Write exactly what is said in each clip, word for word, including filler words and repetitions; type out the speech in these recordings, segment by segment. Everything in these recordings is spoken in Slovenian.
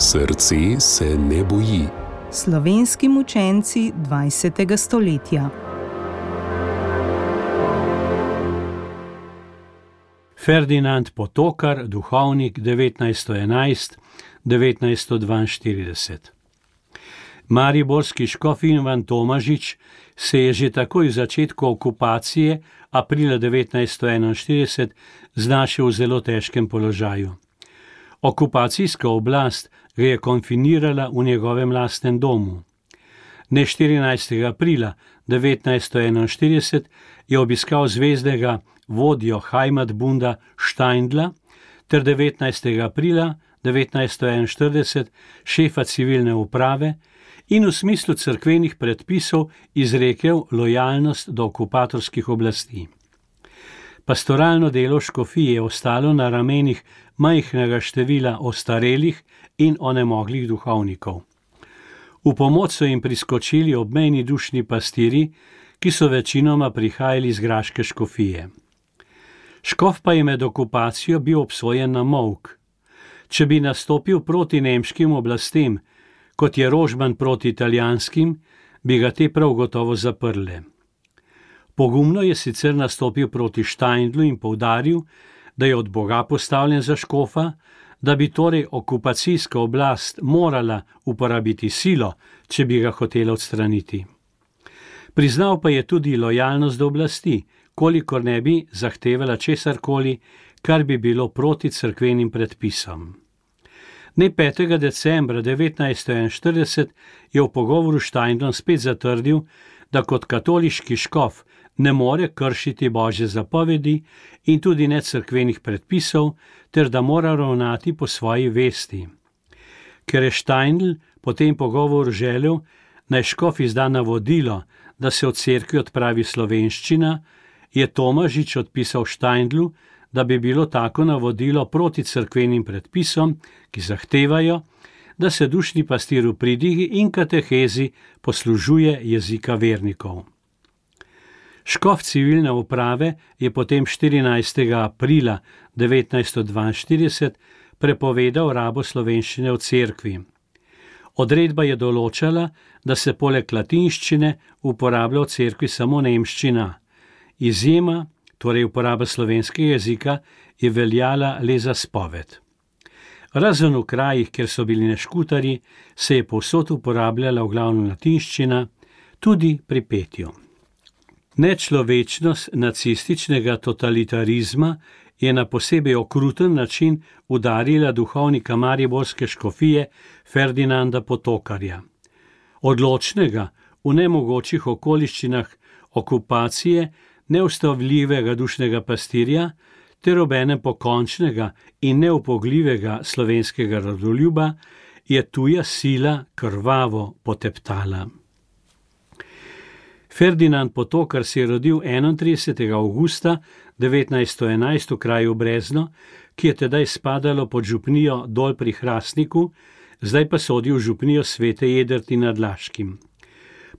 Srce se ne boji. Slovenski mučenci dvajsetega stoletja. Ferdinand Potokar, duhovnik devetnajststo enajst do devetnajststo dvainštirideset. Mariborski škof Ivan Tomažič se je že takoj v začetku okupacije aprila devetnajststo enainštirideset znašel v zelo težkem položaju. Okupacijska oblast ga je konfinirala v njegovem lastnem domu. Dne štirinajstega aprila devetnajststo enainštirideset je obiskal zvezdnega vodjo Heimatbunda Steindla ter devetnajstega aprila devetnajststo enainštirideset šefa civilne uprave in v smislu cerkvenih predpisov izrekel lojalnost do okupatorskih oblasti. Pastoralno delo škofije je ostalo na ramenih majhnega števila ostarelih in onemoglih duhovnikov. V pomoč so jim priskočili obmejni dušni pastiri, ki so večinoma prihajali iz graške škofije. Škof pa je med okupacijo bil obsojen na molk. Če bi nastopil proti nemškim oblastem, kot je Rožman proti italijanskim, bi ga te prav gotovo zaprle. Pogumno je sicer nastopil proti Steindlu in poudaril, da je od Boga postavljen za škofa, da bi torej okupacijska oblast morala uporabiti silo, če bi ga hotela odstraniti. Priznal pa je tudi lojalnost do oblasti, kolikor ne bi zahtevala česarkoli, kar bi bilo proti cerkvenim predpisom. Dne petega decembra devetnajststo enainštirideset je v pogovoru s Steindlom spet zatrdil, da kot katoliški škof ne more kršiti Božje zapovedi in tudi ne cerkvenih predpisov, ter da mora ravnati po svoji vesti. Ker je Steindl po tem pogovoru želel, naj škof izda navodilo, da se od cerkvi odpravi slovenščina, je Tomažič odpisal Steindlu, da bi bilo tako navodilo proti cerkvenim predpisom, ki zahtevajo, da se dušni pastir v pridigi in katehezi poslužuje jezika vernikov. Škof civilne uprave je potem štirinajstega aprila devetnajststo dvainštirideset prepovedal rabo slovenščine v cerkvi. Odredba je določala, da se poleg latinščine uporablja v cerkvi samo nemščina. Izjema, torej uporaba slovenskega jezika, je veljala le za spoved. Razen v krajih, kjer so bili neškutarji, se je povsod uporabljala v glavnem latinščina, tudi pri petju. Nečlovečnost nacističnega totalitarizma je na posebej okruten način udarila duhovnika mariborske škofije Ferdinanda Potokarja. Odločnega, v nemogočih okoliščinah okupacije, neustavljivega dušnega pastirja ter obenem pokončnega in neupogljivega slovenskega rodoljuba je tuja sila krvavo poteptala. Ferdinand Potokar se je rodil enaintridesetega avgusta devetnajststo enajst v kraju Brezno, ki je tedaj spadalo pod župnijo Dol pri Hrastniku, zdaj pa sodi v župnijo Svete Jedrti nad Laškim.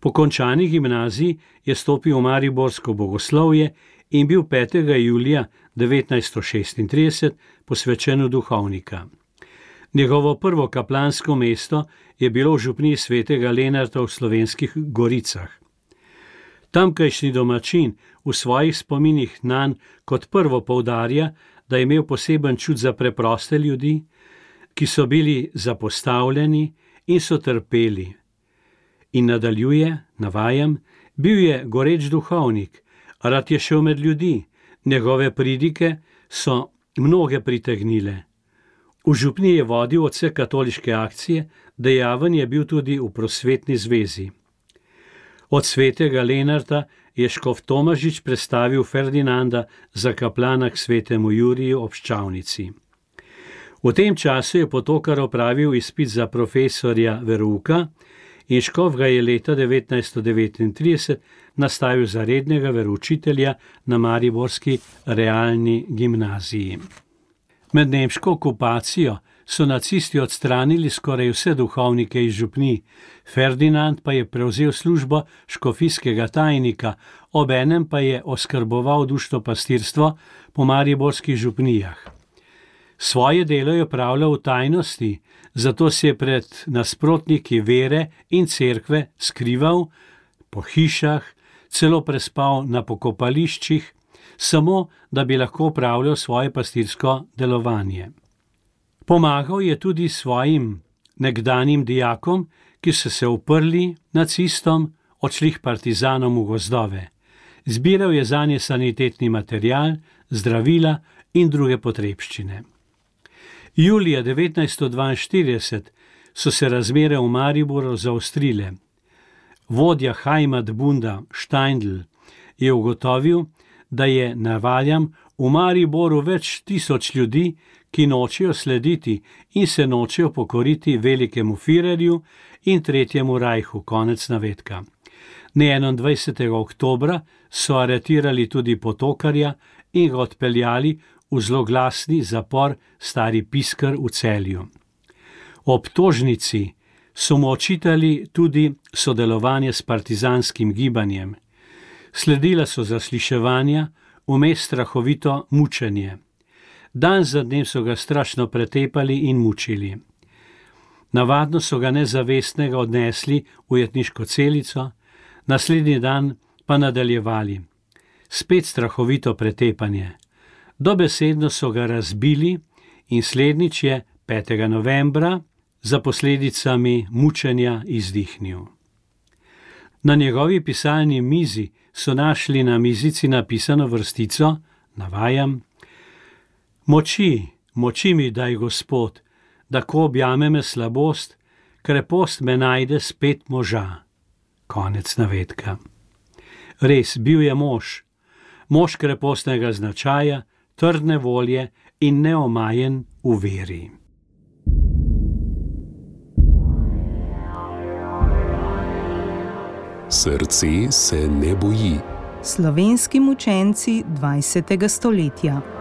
Po končani gimnaziji je stopil v mariborsko bogoslovje in bil petega julija devetnajststo šestintrideset posvečen v duhovnika. Njegovo prvo kaplansko mesto je bilo v župniji Svetega Lenarta v Slovenskih Goricah. Tamkajšnji domačin v svojih spominih nanj kot prvo poudarja, da je imel poseben čut za preproste ljudi, ki so bili zapostavljeni in so trpeli. In nadaljuje, navajam, bil je goreč duhovnik, rad je šel med ljudi, njegove pridike so mnoge pritegnile. V župniji je vodil odsek katoliške akcije, dejaven je bil tudi v prosvetni zvezi. Od Svetega Lenarta je škof Tomažič prestavil Ferdinanda za kaplana k svetemu Juriju ob Ščavnici. V tem času je Potokar opravil izpit za profesorja verouka in škof ga je leta devetnajststo devetintrideset nastavil za rednega veroučitelja na mariborski realni gimnaziji. Med nemško okupacijo so nacisti odstranili skoraj vse duhovnike iz župnij, Ferdinand pa je prevzel službo škofijskega tajnika, obenem pa je oskrboval dušno pastirstvo po mariborskih župnijah. Svoje delo je opravljal v tajnosti, zato se je pred nasprotniki vere in cerkve skrival po hišah, celo prespal na pokopališčih, samo da bi lahko opravljal svoje pastirsko delovanje. Pomagal je tudi svojim nekdanjim dijakom, ki so se uprli nacistom, odšli k partizanom v gozdove. Zbiral je zanje sanitetni material, zdravila in druge potrebščine. Julija devetnajststo dvainštirideset so se razmere v Mariboru zaostrile. Vodja Heimatbunda Steindl je ugotovil, da je navajam v Mariboru več tisoč ljudi, ki nočejo slediti in se nočejo pokoriti velikemu Führerju in Tretjemu rajhu, konec navedka. enaindvajsetega oktobra so aretirali tudi Potokarja in ga odpeljali v zloglasni zapor Stari Pisker v Celju. Obtožnici so mu očitali tudi sodelovanje s partizanskim gibanjem. Sledila so zasliševanja, vmes strahovito mučenje. Dan za dnem so ga strašno pretepali in mučili. Navadno so ga nezavestnega odnesli v jetniško celico, naslednji dan pa nadaljevali. Spet strahovito pretepanje. Dobesedno so ga razbili in slednjič je petega novembra za posledicami mučenja izdihnil. Na njegovi pisalni mizi so našli na mizici napisano vrstico, navajam: Moči, moči mi daj, Gospod, da ko objame me slabost, krepost me najde spet moža. Konec navedka. Res, bil je mož, mož krepostnega značaja, trdne volje in neomajen v veri. Srce se ne boji. Slovenski mučenci dvajsetega stoletja.